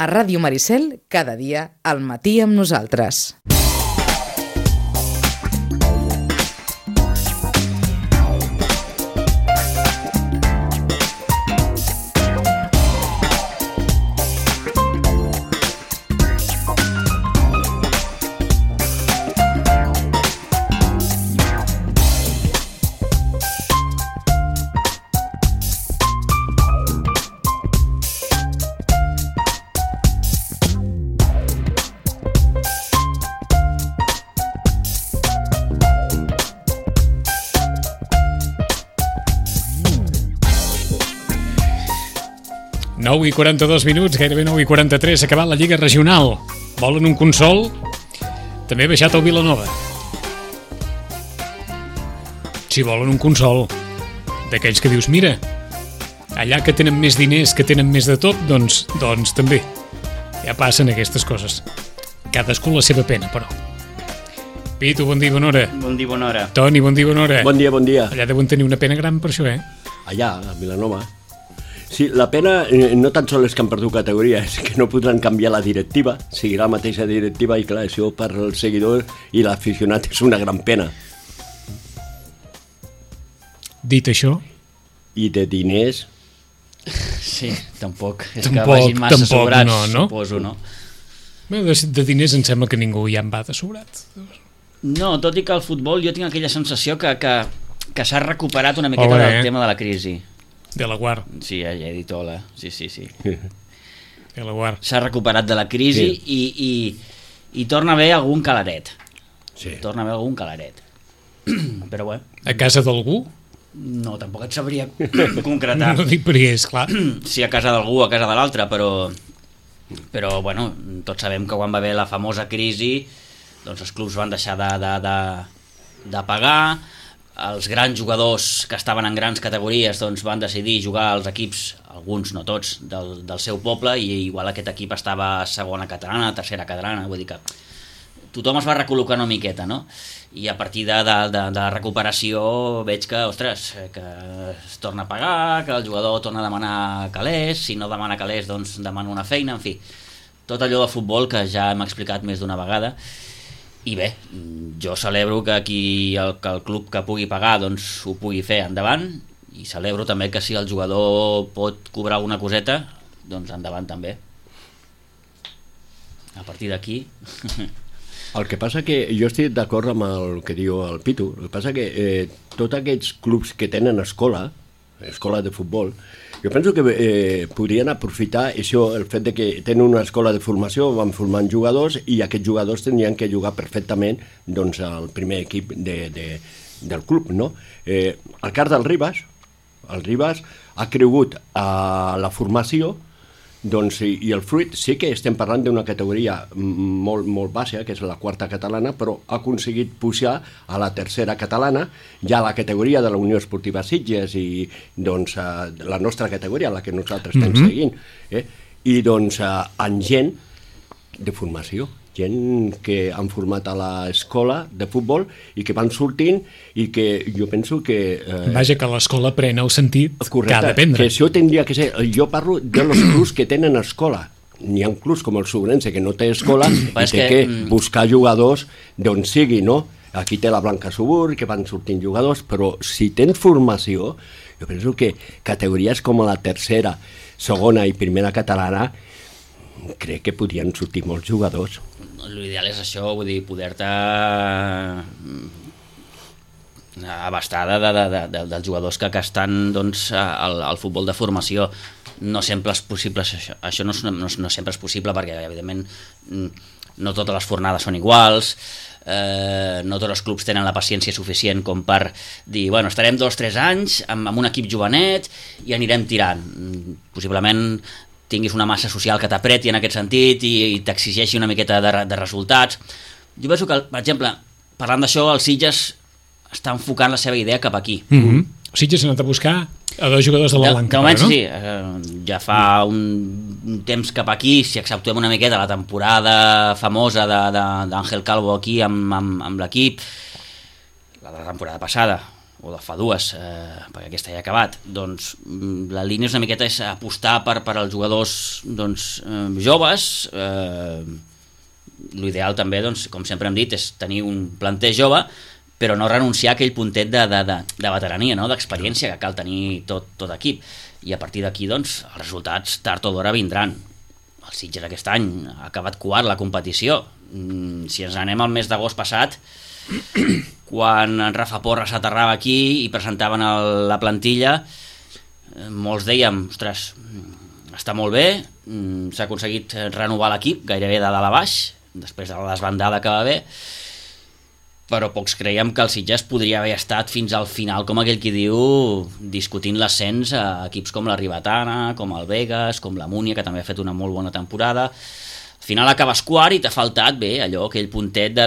A Ràdio Maricel, cada dia, al matí amb nosaltres. I 42 minuts, gairebé 9 i 43, s'ha acabat la Lliga Regional. Volen un consol? També ha baixat el Vilanova. Si volen un consol, d'aquells que dius, mira, allà que tenen més diners, que tenen més de tot, doncs també. Ja passen aquestes coses. Cadascú la seva pena, però. Pitu, bon dia, bona hora. Bon dia, bona hora. Toni, bon dia, bona hora. Bon dia, bon dia. Allà deuen tenir una pena gran per això, Allà, a Vilanova. Sí, la pena no tan sols és que han perdut categoria, és que no podran canviar la directiva, seguirà la mateixa directiva i clar, això per al seguidor i l'aficionat és una gran pena. Dit això... I de diners... Sí, tampoc. És que vagin massa sobrats, no? Suposo, no? Bé, de diners em sembla que ningú ja en va de sobrat. No, tot i que al futbol jo tinc aquella sensació que s'ha recuperat una miqueta del tema de la crisi. De la Guard. Sí, ja he dit hola. Sí. De la Guard. S'ha recuperat de la crisi i torna a haver algun calaret. Sí. Torna a haver algun calaret. Però bé. A casa d'algú? No, tampoc et sabria concretar. No dic perquè és clar. Sí, a casa d'algú, a casa de l'altre, però bueno, tots sabem que quan va haver la famosa crisi, doncs els clubs van deixar de pagar. Els grans jugadors que estaven en grans categories doncs van decidir jugar als equips, alguns, no tots, del seu poble, i igual aquest equip estava a segona catalana, tercera catalana, vull dir que tothom es va recol·locar una miqueta, no? I a partir de la recuperació veig que, ostres, que es torna a pagar, que el jugador torna a demanar calés, si no demana calés doncs demana una feina, en fi, tot allò de futbol que ja hem explicat més d'una vegada. I bé, jo celebro que el club que pugui pagar doncs ho pugui fer endavant, i celebro també que si el jugador pot cobrar una coseta, doncs endavant també. A partir d'aquí... El que passa que jo estic d'acord amb el que diu el Pitu. El que passa que tots aquests clubs que tenen escola de futbol, jo penso que podrien aprofitar això, el fet de que tenen una escola de formació, van formant jugadors i aquests jugadors tindrien que jugar perfectament doncs, al primer equip del club, no? El cas del Ribas, el Ribas ha cregut a la formació, doncs, i el fruit sí que estem parlant d'una categoria molt, molt baixa, que és la quarta catalana, però ha aconseguit pujar a la tercera catalana, ja a la categoria de la Unió Esportiva Sitges i doncs la nostra categoria, la que nosaltres estem seguint, i doncs amb gent de formació, gent que han format a l'escola de futbol i que van sortint i que jo penso que... Vaja, que l'escola pren el sentit que ha d'aprendre. Que això tindria que ser... Jo parlo de los clubs que tenen escola. N'hi ha clubs com el Sobrense que no té escola i té que buscar jugadors d'on sigui, no? Aquí té la Blanca Subur, que van sortint jugadors, però si tens formació, jo penso que categories com la tercera, segona i primera catalana crec que podrien sortir molts jugadors. L'ideal és això, vull dir, poder-te abastar dels jugadors que estan doncs, al futbol de formació. No sempre és possible això no sempre és possible perquè evidentment no totes les fornades són iguals, no tots els clubs tenen la paciència suficient com per dir, bueno, estarem 2 o 3 anys amb un equip jovenet i anirem tirant. Possiblement tinguis una massa social que t'apreti en aquest sentit i t'exigeixi una miqueta de resultats. Jo penso que, per exemple, parlant d'això, el Sitges està enfocant la seva idea cap aquí. Sitges ha anat a buscar a 2 jugadors de la Blanca, de moment, no? Sí, ja fa un temps cap aquí, si exceptuem una miqueta la temporada famosa d'Àngel Calvo aquí amb l'equip, la de la temporada passada, o de fa dues, perquè aquesta ja ha acabat, doncs la línia és una miqueta és apostar per als jugadors doncs, joves. L'ideal també, doncs, com sempre hem dit, és tenir un planter jove, però no renunciar a aquell puntet de veterania, no? D'experiència que cal tenir tot equip. I a partir d'aquí, doncs, els resultats tard o d'hora vindran. El Sitges aquest any ha acabat quart la competició. Si ens anem al mes d'agost passat, quan en Rafa Porra s'aterrava aquí i presentaven la plantilla, molts dèiem, ostres, està molt bé, s'ha aconseguit renovar l'equip gairebé de dalt a baix, després de la desbandada que va haver, però pocs creiem que el Sitges podria haver estat fins al final, com aquell qui diu, discutint l'ascens a equips com la Ribetana, com el Vegas, com la Múnia, que també ha fet una molt bona temporada. Al final acabes quart i t'ha faltat bé allò, aquell puntet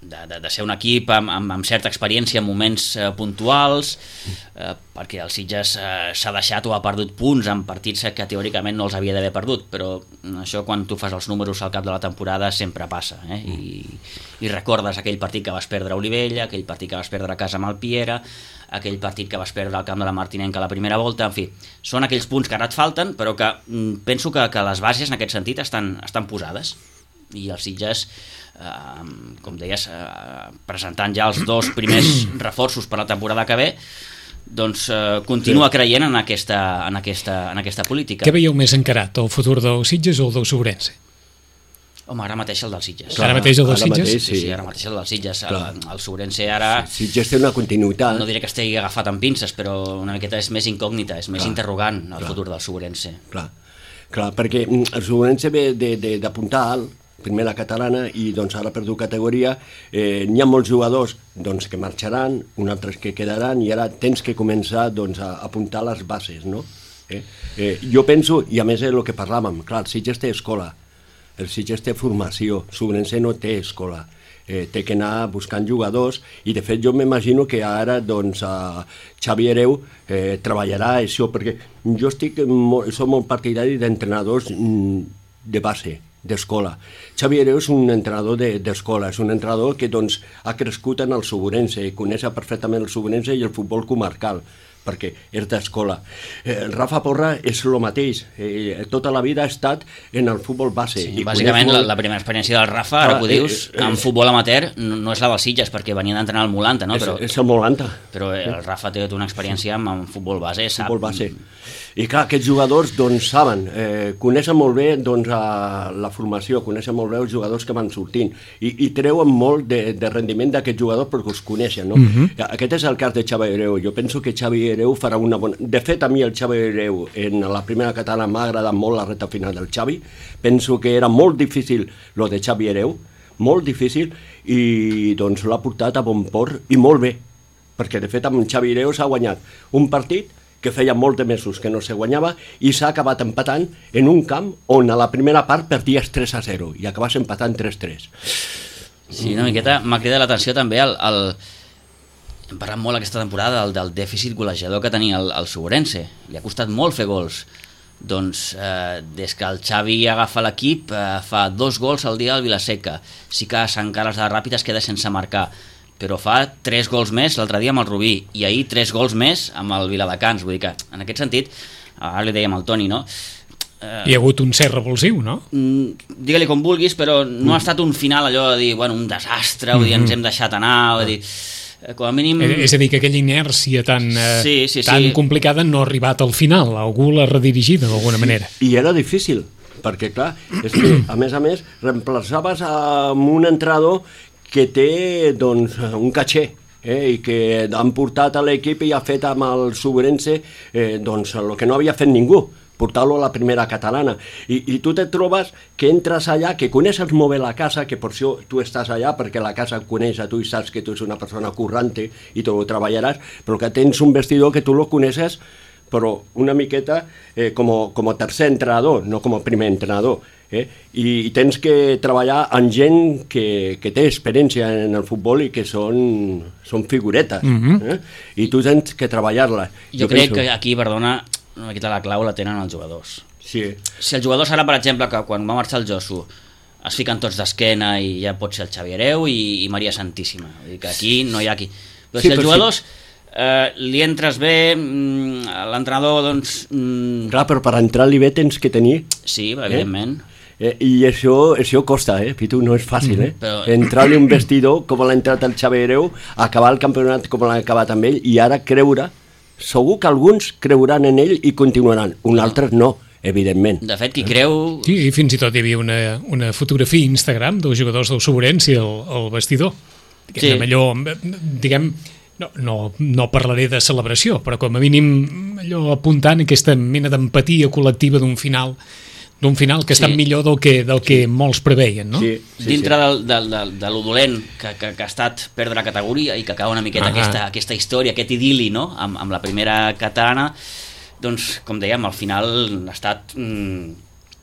de ser un equip amb certa experiència en moments puntuals, perquè el Sitges s'ha deixat o ha perdut punts en partits que teòricament no els havia d'haver perdut, però això quan tu fas els números al cap de la temporada sempre passa, i recordes aquell partit que vas perdre a Olivella, aquell partit que vas perdre a casa amb el Piera, aquell partit que vas perdre al camp de la Martinenca a la primera volta, en fi, són aquells punts que ara et falten, però que penso que les bases en aquest sentit estan posades, i el Sitges, com deies, presentant ja els 2 primers reforços per la temporada que ve, doncs continua creient en aquesta política. Què veieu més encarat, el futur del Sitges o el del Sobrense? Home, ara mateix el del Sitges. Clar, ara mateix el del Sitges? Mateix, sí, ara mateix el del Sitges. El Sobrense ara... Sitges té una continuïtat. No diré que estigui agafat amb pinces, però una miqueta és més incògnita, és més interrogant el futur del Sobrense. Clar, perquè el Sobrense ve d'apuntar alt, primera catalana, i doncs ara ha perdut categoria. N'hi ha molts jugadors doncs, que marxaran, uns altres que quedaran, i ara tens que començar doncs, a apuntar les bases, no? Jo penso, i a més és el que parlàvem, clar, el Sitges té escola, el Sitges té formació, Sobrense no té escola, té que anar buscant jugadors, i de fet jo m'imagino que ara doncs, Xavi Hereu treballarà això, perquè jo soc molt partidari d'entrenadors de base, d'escola. Xavi Hereu és un entrenador d'escola, és un entrenador que doncs, ha crescut en el Sobrense, coneix perfectament el Sobrense i el futbol comarcal, perquè és d'escola. Rafa Porra és el mateix, tota la vida ha estat en el futbol base. Sí, bàsicament la primera experiència del Rafa, ara que ho dius, en futbol amateur, no és la dels Sitges, perquè venia d'entrenar al Molanta, no? És el Molanta. Però el Rafa té una experiència amb futbol base, sap? Futbol base. I clar, aquests jugadors doncs, saben, coneixen molt bé doncs, la formació, coneixen molt bé els jugadors que van sortint i treuen molt de rendiment d'aquests jugadors perquè els coneixen, no? Aquest és el cas de Xavi Hereu. Jo penso que Xavi Hereu farà una bona... De fet, a mi el Xavi Hereu en la primera catalana m'ha agradat molt la recta final del Xavi. Penso que era molt difícil lo de Xavi Hereu, molt difícil, i doncs l'ha portat a bon port i molt bé, perquè de fet amb Xavi Hereu s'ha guanyat un partit que feia molts de mesos que no se guanyava i s'ha acabat empatant en un camp on a la primera part perdies 3-0 i acabes empatant 3-3. Sí, una miqueta m'ha cridat l'atenció també hem parlat molt aquesta temporada del dèficit golejador que tenia el Sobrense. Li ha costat molt fer gols. Doncs des que el Xavi agafa l'equip fa 2 gols al dia al Vilaseca. Sí que a Sant Carles de la Ràpita es queda sense marcar, però fa 3 gols més l'altre dia amb el Rubí i ahir 3 gols més amb el Viladecans. Vull dir que en aquest sentit, ara li dèiem al Toni, no? Hi ha hagut un cert revulsiu, no? Digue-li com vulguis, però no ha estat un final allò de dir, bueno, un desastre, vull dir, ens hem deixat anar, vull dir, com a mínim... És a dir, que aquella inèrcia tan complicada no ha arribat al final, algú l'ha redirigida d'alguna manera. I era difícil, perquè clar, és que a més, reemplaçaves amb un entrenador que té doncs, un caché i que han portat a l'equip i ha fet amb el Sobrense doncs, el que no havia fet ningú, portar-lo a la primera catalana. I tu te trobes que entres allà, que coneixes molt bé la casa, que per això tu estàs allà, perquè la casa et coneix a tu i saps que tu ets una persona currante i tu ho treballaràs, però que tens un vestidor que tu lo coneixes, però una miqueta com a tercer entrenador, no com a primer entrenador. I tens que treballar amb gent que té experiència en el futbol i que són figuretes, i tu tens que treballar-la. Jo crec que aquí, perdona, una miqueta la clau la tenen els jugadors. Sí. Si el jugador serà, per exemple, que quan va marxar el Josu es fiquen tots d'esquena i ja pot ser el Xavi Hereu i Maria Santíssima. Vull dir que aquí no hi ha aquí. Però si els jugadors li entres bé, l'entrenador, doncs... Clar, però per entrar-li bé tens que tenir... Sí, evidentment. I això costa, Pitu, no és fàcil, Però... entrar-li un vestidor com l'ha entrat el Xavi Hereu, acabar el campionat com l'ha acabat amb ell, i ara creure, segur que alguns creuran en ell i continuaran, uns altres no, evidentment. De fet, qui creu... Sí, i fins i tot hi havia una fotografia a Instagram dels jugadors del Sobrense al vestidor. Sí. Allò, diguem, no parlaré de celebració, però com a mínim allò apuntant aquesta mena d'empatia col·lectiva d'un final que ha estat millor del que molts preveien, no? Sí, dintre de lo dolent que ha estat perdre categoria i que acaba una miqueta aquesta història, aquest idili, no? Amb la primera catalana, doncs, com dèiem, al final ha estat,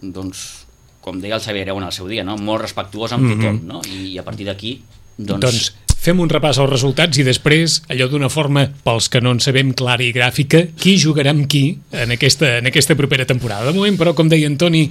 doncs, com deia el Xavi Hereu en el seu dia, no? Molt respectuós amb tothom, no? I a partir d'aquí, doncs fem un repàs als resultats i després, allò d'una forma, pels que no en sabem clara i gràfica, qui jugarà amb qui en aquesta propera temporada. De moment, però, com deia Antoni,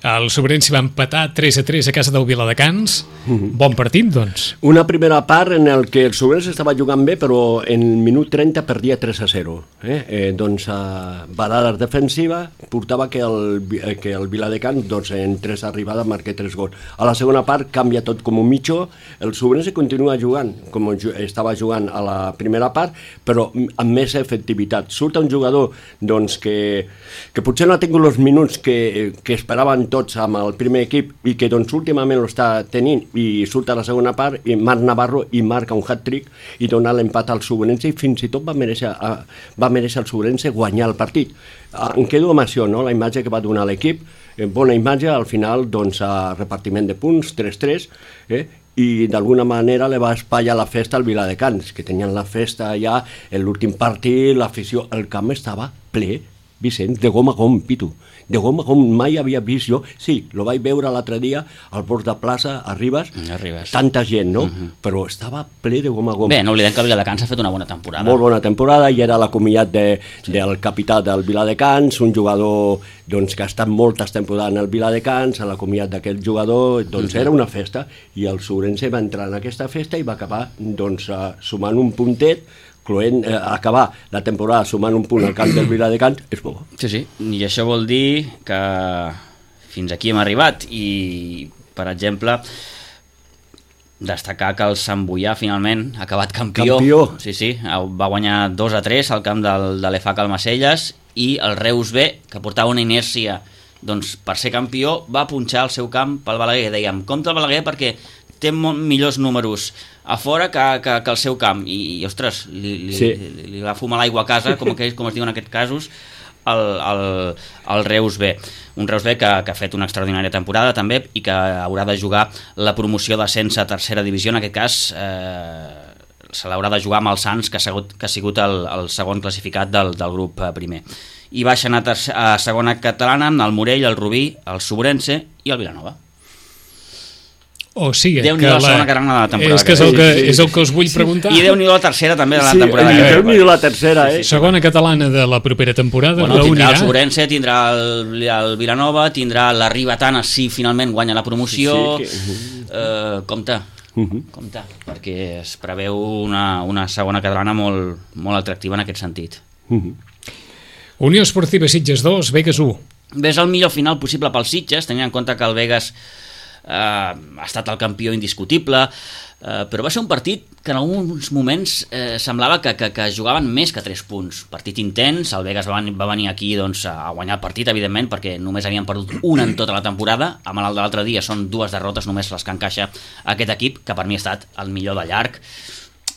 el Sobrense va empatar 3-3 a casa del Viladecans. Bon partit, doncs. Una primera part en el que el Sobrense estava jugant bé, però en el minut 30 perdia 3-0. Doncs barada defensiva portava que el Viladecans, doncs, en 3 arribades marqués 3 gols. A la segona part canvia tot com un mitjó, el Sobrense continua jugant com estava jugant a la primera part, però amb més efectivitat. Surt un jugador doncs, que potser no ha tingut els minuts que esperaven tots amb el primer equip i que doncs, últimament l'està tenint, i surt a la segona part i Marc Navarro i marca un hat-trick i dona l'empat al Sobrense, i fins i tot va mereixer el Sobrense guanyar el partit. Em quedo amb això, no? La imatge que va donar l'equip, bona imatge, al final doncs, repartiment de punts, 3-3, i d'alguna manera li va espatllar la festa al Viladecans, que tenien la festa allà, l'últim partit, l'afició, el camp estava ple, Vicenç, de gom a gom, Pitu, de gom a gom, mai havia vist jo, sí, lo vaig veure l'altre dia al bord de plaça, a Ribes, tanta gent, no? Però estava ple de gom a gom. Bé, no oblidem que el Viladecans ha fet una bona temporada. Molt bona temporada, i era l'acomiat del capità del Viladecans, un jugador doncs, que ha estat moltes temporades en el Viladecans, a l'acomiat d'aquest jugador, doncs era una festa, i el Sobrense va entrar en aquesta festa i va acabar doncs, sumant un puntet, acabar la temporada sumant un punt al camp del Viladecans és bo. Sí, i això vol dir que fins aquí hem arribat, i per exemple destacar que el Sant Boià finalment ha acabat campió. Sí, va guanyar 2-3 al camp de l'EFAC Almacelles, i el Reus B, que portava una inèrcia doncs, per ser campió, va punxar el seu camp pel Balaguer. Dèiem, compte el Balaguer perquè té millors números a fora que el seu camp, i ostres, li va fumar l'aigua a casa, com es diu en aquests casos, el Reus B. Un Reus B que ha fet una extraordinària temporada també, i que haurà de jugar la promoció d'ascens a tercera divisió. En aquest cas se l'haurà de jugar amb el Sants, que ha sigut el segon classificat del grup primer. I baixen a segona catalana amb el Morell, el Rubí, el Sobrense i el Vilanova. O sigui, Déu-n'hi-do la segona catalana de la temporada. És el que us vull preguntar. I Déu-n'hi-do la tercera també de la temporada. Sí, Déu-n'hi-do la tercera, Segona catalana de la propera temporada. Tindrà el Sobrense, tindrà el Vilanova, tindrà la Ribetana, si finalment guanya la promoció. Compte, perquè es preveu una segona catalana molt atractiva en aquest sentit. Unió Esportiva Sitges 2, Begues 1. Ves el millor final possible pels Sitges, tenint en compte que el Begues ha estat el campió indiscutible, però va ser un partit que en alguns moments semblava que jugaven més que 3 punts. Partit intens, el Begues va venir aquí doncs, a guanyar el partit, evidentment, perquè només havien perdut una en tota la temporada. Amb el de l'altre dia són 2 derrotes només les que encaixa aquest equip, que per mi ha estat el millor de llarg.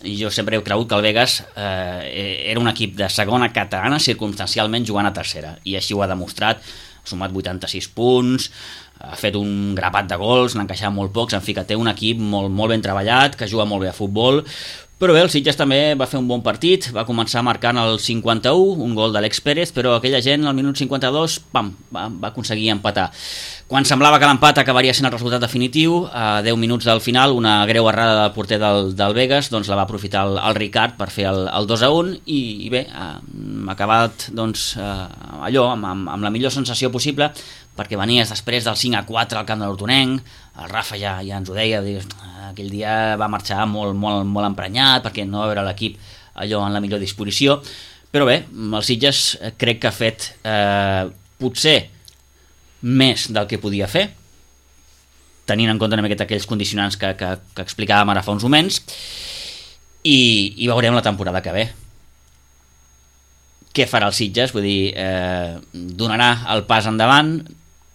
Jo sempre he cregut que el Begues era un equip de segona catalana circumstancialment jugant a tercera, i així ho ha demostrat. Ha sumat 86 punts, ha fet un grapat de gols, n'ha encaixat molt pocs, en fi, que té un equip molt ben treballat, que juga molt bé a futbol. Però bé, el Sitges també va fer un bon partit, va començar marcant el 51, un gol de l'Alex Pérez, però aquella gent al minut 52, va aconseguir empatar. Quan semblava que l'empat acabaria sent el resultat definitiu, a 10 minuts del final, una greu errada del porter del Begues, doncs la va aprofitar el Ricard per fer el 2-1, i bé, ha acabat doncs, allò, amb la millor sensació possible, perquè venies després del 5-4 al camp de l'Hortonenc, el Rafa ja ens ho deia, aquell dia va marxar molt emprenyat perquè no va veure l'equip allò en la millor disposició, però bé, el Sitges crec que ha fet potser més del que podia fer, tenint en compte una miqueta aquells condicionants que explicàvem ara fa uns moments, i veurem la temporada que ve. Què farà el Sitges? Vull dir, donarà el pas endavant,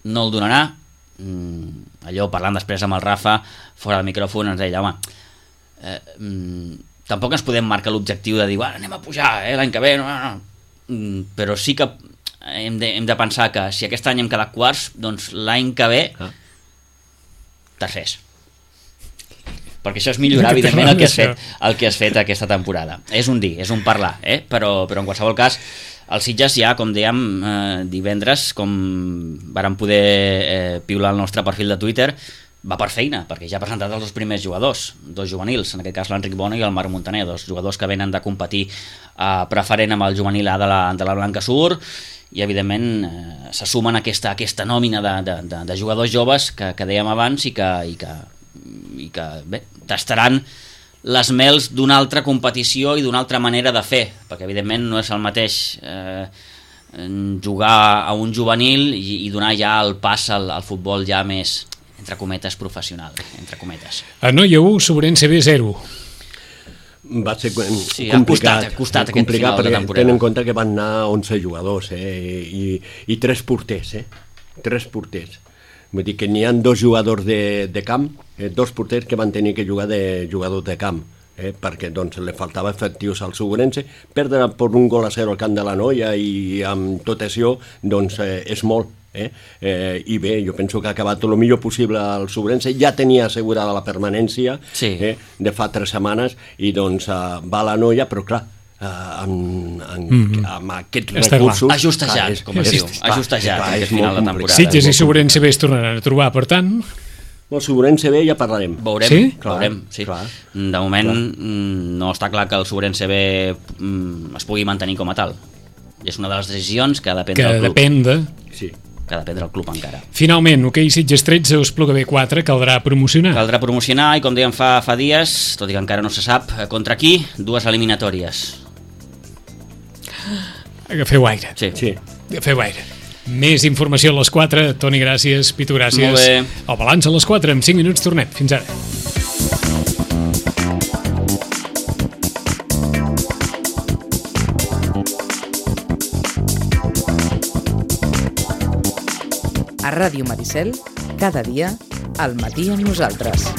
no el donarà? Allò, parlant després amb el Rafa, fora del micròfon, ens deia, home, tampoc ens podem marcar l'objectiu de dir, anem a pujar, l'any que ve, no. Però sí que hem de pensar que si aquest any hem quedat quarts, doncs l'any que ve tercers. Perquè això és millorar, evidentment, el que has fet aquesta temporada. És un dir, és un parlar, però en qualsevol cas, el Sitges ja, com dèiem, divendres, com vàrem poder piular el nostre perfil de Twitter, va per feina, perquè ja ha presentat els dos primers jugadors, dos juvenils, en aquest cas l'Enric Bona i el Marc Montaner, dos jugadors que venen de competir preferent amb el juvenil A de la Blanca Sur, i evidentment se sumen aquesta nòmina de jugadors joves que dèiem abans i que bé, tastaran les mels d'una altra competició i d'una altra manera de fer, perquè evidentment no és el mateix jugar a un juvenil i donar ja el pas al futbol ja més, entre cometes, professional, entre cometes. A Noia 1, Sobrense B 0. Va ser sí, complicat costat aquest final de temporada. Ten en compte que van anar 11 jugadors i 3 porters, 3 porters. Vull dir que n'hi ha 2 jugadors de camp, 2 porters que van tenir que jugar de jugadors de camp, perquè doncs, li faltava efectius al Segurense. Perdre per 1-0 al camp de la Noia i amb tot això doncs, és molt. I bé, jo penso que ha acabat el millor possible el Segurense, ja tenia assegurada la permanència de fa 3 setmanes i doncs va a la Noia, però clar, amb aquests recursos ajustejat, com es diu, ajustejat aquest final de temporada. Sitges i Sobrense B es tornaran a trobar, per tant el Segurense B ja parlarem. Veurem, sí? Veurem, sí. De moment no està clar que el Segurense B es pugui mantenir com a tal. És una de les decisions que depèn del club. Que depèn del club encara. Finalment, hoquei Sitges 13, Espluga B 4, caldrà promocionar. Caldrà promocionar i, com dèiem fa dies, tot i que encara no se sap contra qui, 2 eliminatòries. Agafeu aire. Sí. Agafeu aire. Més informació a les 4. Toni, gràcies. Pitu, gràcies. Molt bé. El balanç a les 4. En 5 minuts tornem. Fins ara. A Ràdio Maricel, cada dia, al matí amb nosaltres.